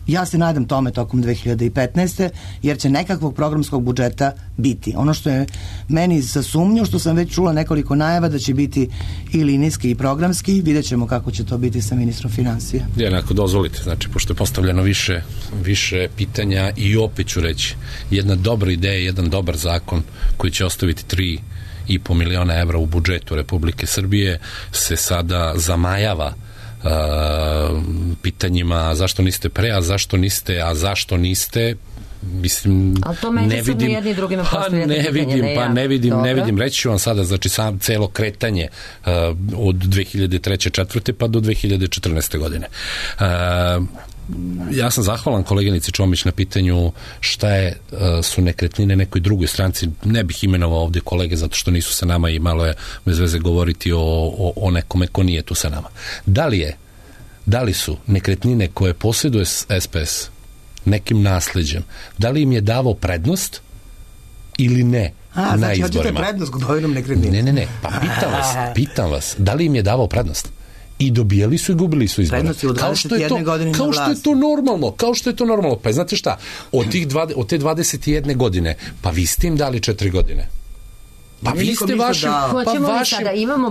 Ja se nadam tome tokom dve hiljade petnaeste jer će nekakvog programskog budžeta biti. Ono što je meni za sumnju, što sam već čula nekoliko najava da će biti i linijski i programski, vidjet ćemo kako će to biti sa ministrom finansija. Jednako dozvolite, znači, pošto je postavljeno više, više pitanja i opet ću reći, jedna dobra ideja, jedan dobar zakon koji će ostaviti tri i po miliona evra u budžetu Republike Srbije se sada zamajava uh, pitanjima zašto niste pre, a zašto niste, a zašto niste, mislim, ne vidim, jedni drugima pa ne vidim, ne, pa ne vidim, ne vidim, reći ću vam sada, znači sam celo kretanje uh, od dve hiljade treće četvrte pa do dve hiljade četrnaeste godine. Uh, ja sam zahvalan koleginici Čomić na pitanju šta je, su nekretnine nekoj drugoj stranci. Ne bih imenovao ovde kolege zato što nisu sa nama i malo je bez veze govoriti o, o, o nekome ko nije tu sa nama. Da li je, da li su nekretnine koje posjeduje S P S nekim nasleđem, da li im je davao prednost ili ne? A, na znači, izborima? Hoćete prednost kupovinom nekretnine? Ne, ne, ne, pa pitam vas, pitam vas, da li im je davao prednost? I dobijali su i gubili su izbore. Kao što je to, kao što je to normalno, kao što je to normalno. Pa znate šta, od, tih dva, od te dvadeset jedne godine, pa vi ste im dali četiri godine. Pa vi ste vašim, pa vašim,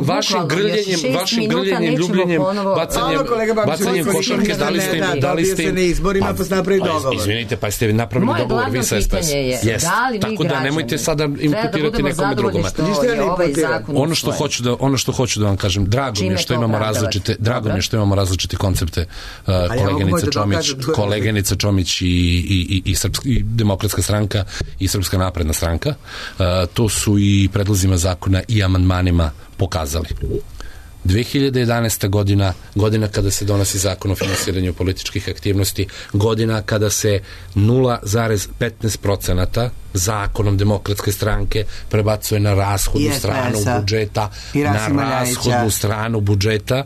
vašim grljenjem, vašim grljenjem, ljubljenjem, bacanjem, bacanjem košarke, dali ste im, dali ste im, na izborima, pa ste napravili dogovor. Izvinite, pa ste napravili dogovor, vi sa S P S. Jest, tako da nemojte sada imputirati nekome drugome. Ono što hoću da, ono što hoću da vam kažem, drago mi je što imamo različite, drago mi je što imamo različite koncepte, koleginica Čomić, koleginica Čomić i i i i Demokratska stranka i Srpska napredna stranka. To su i predlozima zakona i amandmanima pokazali. dve hiljade jedanaesta. godina, godina kada se donosi zakon o finansiranju političkih aktivnosti, godina kada se nula zarez petnaest procenata zakonom Demokratske stranke prebacuje na rashodnu stranu budžeta, na rashodnu stranu budžeta,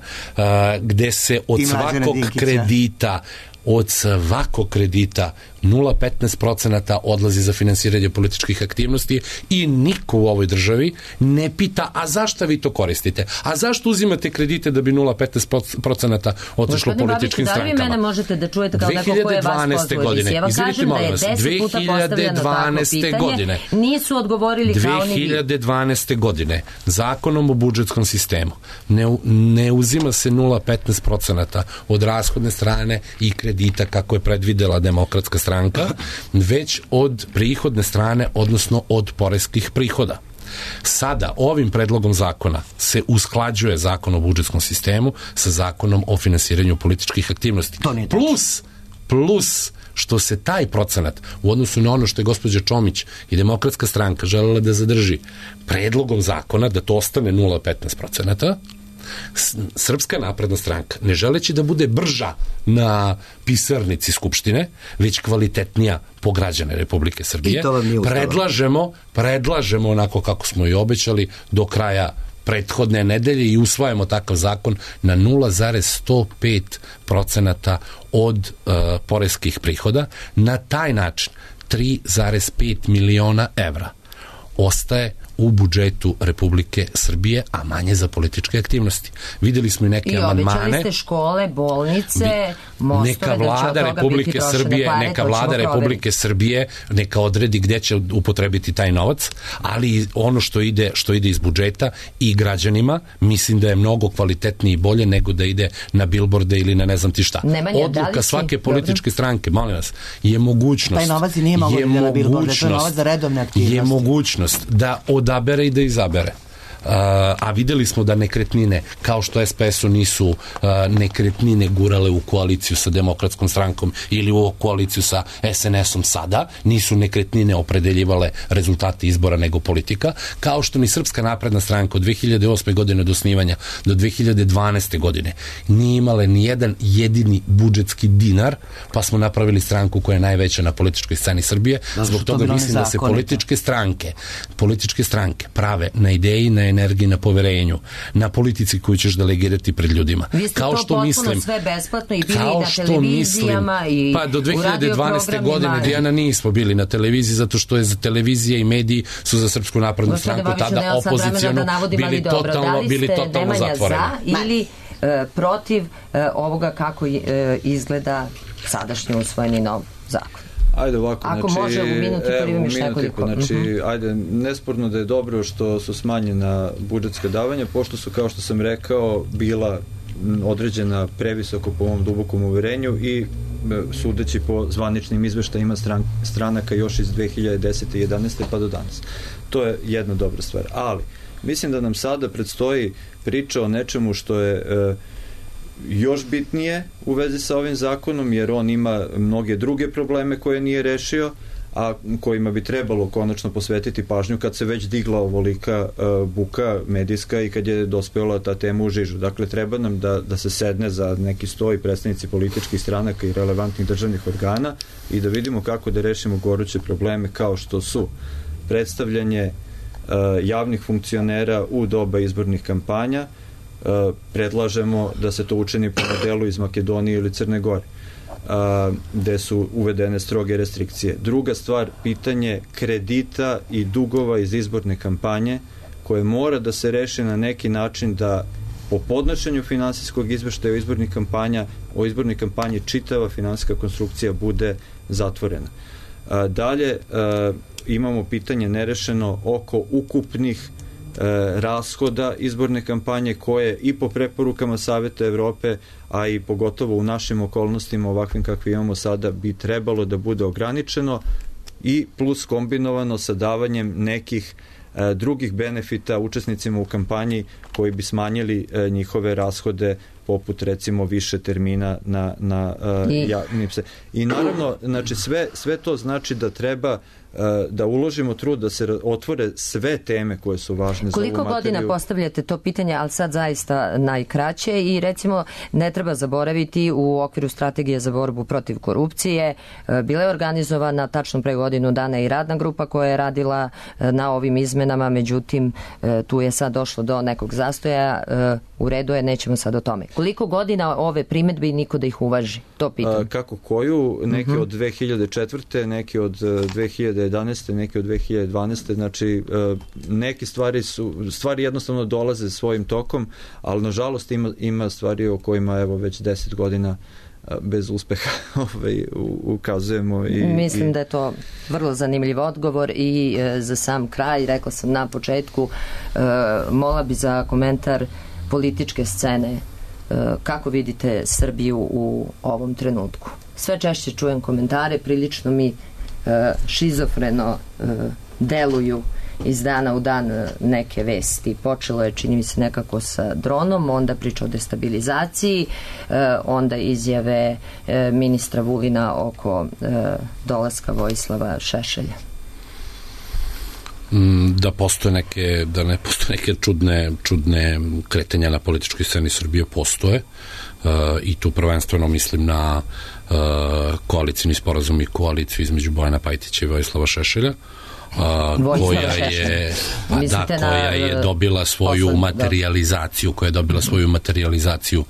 gde se od svakog kredita od svakog kredita nula zarez petnaest procenata odlazi za finansiranje političkih aktivnosti i niko u ovoj državi ne pita, a zašto vi to koristite? A zašto uzimate kredite da bi nula zarez petnaest procenata otišlo političkim strankama? Da li vi mene možete da čujete kao neko ko je vas pozvao? Ja vam kažem da je deset puta postavljeno takvo pitanje, nisu odgovorili kao ni vi. dve hiljade dvanaeste. godine zakonom o budžetskom sistemu ne, ne uzima se nula zarez petnaest procenata od rashodne strane i kredita kako je predvidela Demokratska stranka, već od prihodne strane, odnosno od poreskih prihoda. Sada, ovim predlogom zakona se usklađuje zakon o budžetskom sistemu sa zakonom o finansiranju političkih aktivnosti. Plus, plus što se taj procenat u odnosu na ono što je gospođa Čomić i Demokratska stranka želela da zadrži predlogom zakona, da to ostane nula zarez petnaest procenata, Srpska napredna stranka, ne želeći da bude brža na pisarnici Skupštine, već kvalitetnija po građane Republike Srbije, predlažemo, predlažemo onako kako smo i obećali do kraja prethodne nedelje i usvajamo takav zakon na nula zarez sto pet procenata od uh, poreskih prihoda. Na taj način tri zarez pet miliona evra ostaje u budžetu Republike Srbije, a manje za političke aktivnosti. Videli smo i neke amandmane. I obećali ste škole, bolnice, mostove, neka vlada Republike Srbije, neka vlada Republike Srbije neka odredi gde će upotrebiti taj novac, ali ono što ide, što ide iz budžeta i građanima, mislim da je mnogo kvalitetnije i bolje nego da ide na bilborde ili na ne znam ti šta. Nemanja, odluka svake političke stranke, molim vas, je mogućnost, taj novac i nije mogo da ide na bilborde, to je novac za redovne aktivnosti. Je mogućnost da odabere i da izabere. Uh, a videli smo da nekretnine, kao što S P S-u nisu uh, nekretnine gurale u koaliciju sa Demokratskom strankom ili u koaliciju sa S N S-om sada, nisu nekretnine opredeljivale rezultate izbora nego politika, kao što ni Srpska napredna stranka od dve hiljade osme. godine do osnivanja do dve hiljade dvanaeste. godine nije imale ni jedan jedini budžetski dinar, pa smo napravili stranku koja je najveća na političkoj sceni Srbije. Zbog toga mislim da se političke stranke političke stranke prave na ideji, na energiji, na poverenju, na politici koju ćeš delegirati pred ljudima. Vi ste kao to što potpuno mislim, sve besplatno i bili na televizijama mislim, i pa do dve hiljade dvanaeste. godine Dijana nismo bili na televiziji zato što je za televizije i mediji su za Srpsku naprednu stranku tada opoziciono bili totalno, bili totalno zatvoreni. Da za ili uh, protiv uh, ovoga kako uh, izgleda sadašnji usvojeni nov zakon? Ajde ovako, ako znači, može u minuti, prvi evo, još nekoliko. Znači, uh-huh. ajde, nesporno da je dobro što su smanjena budžetska davanja, pošto su, kao što sam rekao, bila određena previsoko po ovom dubokom uverenju i sudeći po zvaničnim izveštajima stran, stranaka još iz dve hiljade desete i jedanaeste. pa do danas. To je jedna dobra stvar. Ali, mislim da nam sada predstoji priča o nečemu što je e, još bitnije u vezi sa ovim zakonom, jer on ima mnoge druge probleme koje nije rešio, a kojima bi trebalo konačno posvetiti pažnju kad se već digla ovolika uh, buka medijska i kad je dospela ta tema u žižu. Dakle, treba nam da, da se sedne za neki sto i predstavnici političkih stranaka i relevantnih državnih organa i da vidimo kako da rešimo goruće probleme kao što su predstavljanje uh, javnih funkcionera u doba izbornih kampanja. Uh, predlažemo da se to učini po modelu iz Makedonije ili Crne Gore, uh, gde su uvedene stroge restrikcije. Druga stvar, pitanje kredita i dugova iz izborne kampanje, koje mora da se reši na neki način da po podnošenju finansijskog izveštaja o izbornih kampanja, o izbornoj kampanji čitava finansijska konstrukcija bude zatvorena. Uh, dalje, uh, imamo pitanje nerešeno oko ukupnih rashoda izborne kampanje koje i po preporukama Saveta Evrope, a i pogotovo u našim okolnostima ovakvim kakve imamo sada bi trebalo da bude ograničeno i plus kombinovano sa davanjem nekih drugih benefita učesnicima u kampanji koji bi smanjili njihove rashode poput recimo više termina na, na uh, I... javnim se. I naravno, znači sve, sve to znači da treba uh, da uložimo trud da se otvore sve teme koje su važne Koliko za ovu materiju. Godina postavljate to pitanje, ali sad zaista najkraće i recimo ne treba zaboraviti u okviru strategije za borbu protiv korupcije bila je organizovana tačno pre godinu dana i radna grupa koja je radila na ovim izmenama, međutim tu je sad došlo do nekog zastoja, u redu je, nećemo sad o tome. Koliko godina ove primetbe i niko da ih uvaži? To pitam. Kako koju? Neki uh-huh. od dve hiljade četvrte neki od dve hiljade jedanaeste neki od dve hiljade dvanaeste Znači, neke stvari su, stvari jednostavno dolaze svojim tokom, ali nažalost ima, ima stvari o kojima evo već deset godina bez uspeha ovaj, ukazujemo. I, Mislim i... da je to vrlo zanimljiv odgovor i e, za sam kraj, rekla sam na početku, e, mola bi za komentar političke scene. Kako vidite Srbiju u ovom trenutku? Sve češće čujem komentare, prilično mi šizofreno deluju iz dana u dan neke vesti. Počelo je, čini mi se, nekako sa dronom, onda priča o destabilizaciji, onda izjave ministra Vulina oko dolaska Vojislava Šešelja. Da postoje neke, da ne postoje neke čudne, čudne kretanja na političkoj sceni Srbije, postoje uh, i tu prvenstveno mislim na uh, koalicijni sporazum i koaliciju između Bojana Pajtića i Vojislava Šešelja. Uh, koja je pa da, koja je dobila svoju materializaciju koja je dobila svoju materializaciju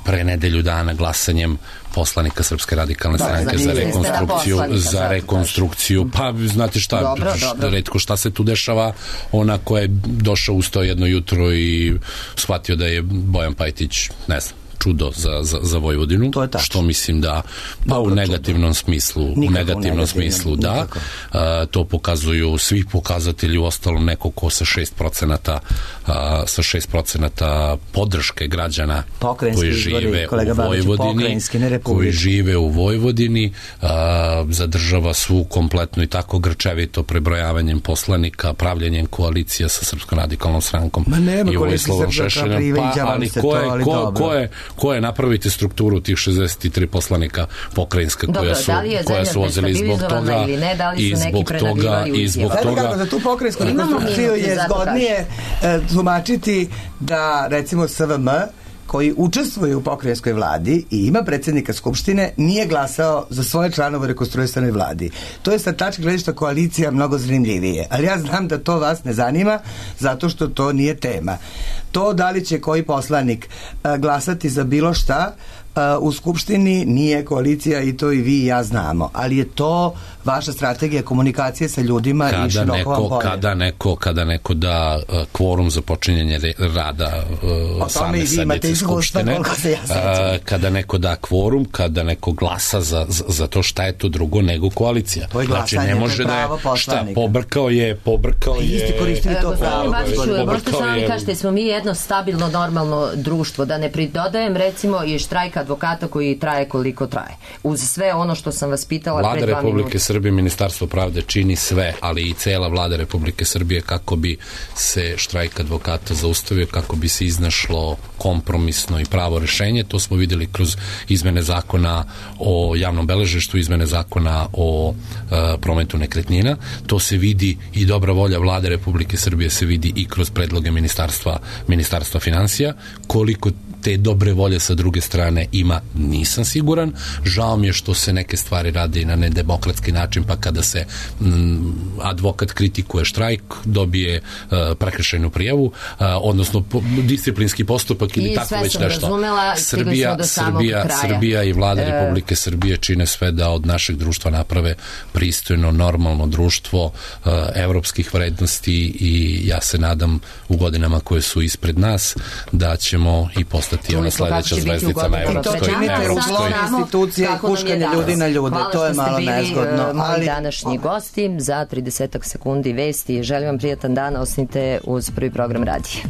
pre nedelju dana glasanjem poslanika Srpske radikalne stranke za rekonstrukciju za rekonstrukciju pa znate šta dobro, dobro. retko šta se tu dešava, ona koja je došao ustao jedno jutro i shvatio da je Bojan Pajtić ne znam čudo za, za, za Vojvodinu, što mislim da pa dobro, u negativnom čudo. smislu nikako u negativnom smislu da a, to pokazuju svi pokazatelji, u ostalom neko ko sa šest procenata a, sa šest procenata podrške građana koji žive u Vojvodini koji žive u Vojvodini a, zadržava svu kompletnu i tako grčevito prebrojavanjem poslanika, pravljenjem koalicija sa Srpskom radikalnom strankom i Vojislavom Šešeljem, pa ali ko je, ko, ko je ko je napraviti strukturu tih šezdeset tri poslanika pokrajinska koja Dobro, su, da koja su ozeli zbog toga ili ne, da li i zbog toga i zbog toga kako za tu pokrajinsku rekonstrukciju je zgodnije tumačiti da recimo S V M koji učestvuje u pokrajinskoj vladi i ima predsjednika Skupštine, nije glasao za svoje članove u rekonstruisanoj vladi. To je sa tačke gledišta koalicija mnogo zanimljivije. Ali ja znam da to vas ne zanima, zato što to nije tema. To da li će koji poslanik glasati za bilo šta u Skupštini nije koalicija i to i vi i ja znamo. Ali je to vaša strategija komunikacije sa ljudima kada i široko vam polje. Kada neko, kada neko da uh, kvorum za počinjenje rada uh, same sednice Skupštine, ja uh, kada neko da kvorum, kada neko glasa za, za, za to šta je to drugo nego koalicija. To je znači ne može da je, šta, pobrkao je, pobrkao je... Isti koristili to pravo. Možete samo mi kažete, smo mi jedno stabilno, normalno društvo, da ne pridodajem recimo i štrajk advokata koji traje koliko traje. Uz sve ono što sam vas pitala Vlada pre dva minuta. Republike Srbije, Ministarstvo pravde čini sve, ali i cela Vlada Republike Srbije kako bi se štrajk advokata zaustavio, kako bi se iznašlo kompromisno i pravo rešenje. To smo videli kroz izmene zakona o javnom beležništvu, izmene zakona o uh, prometu nekretnina. To se vidi i dobra volja Vlade Republike Srbije se vidi i kroz predloge Ministarstva, Ministarstva finansija. Koliko te dobre volje sa druge strane ima, nisam siguran. Žao mi je što se neke stvari rade na nedemokratski način, pa kada se m, advokat kritikuje štrajk, dobije uh, prekršajnu prijavu, uh, odnosno po, disciplinski postupak ili I tako već nešto. Razumela, Srbija, Srbija, Srbija i Vlada e... Republike Srbije čine sve da od našeg društva naprave pristojno, normalno društvo uh, evropskih vrednosti i ja se nadam u godinama koje su ispred nas da ćemo i postati ona sledeća zvezdica na evropskom Vi to činite u zlom institucije i huškanje ljudi na ljude. To je malo nezgodno. Hvala što ste bili moji današnji gosti. Za tridesetak sekundi vesti. Želim vam prijatan dan. Ostanite uz prvi program radija.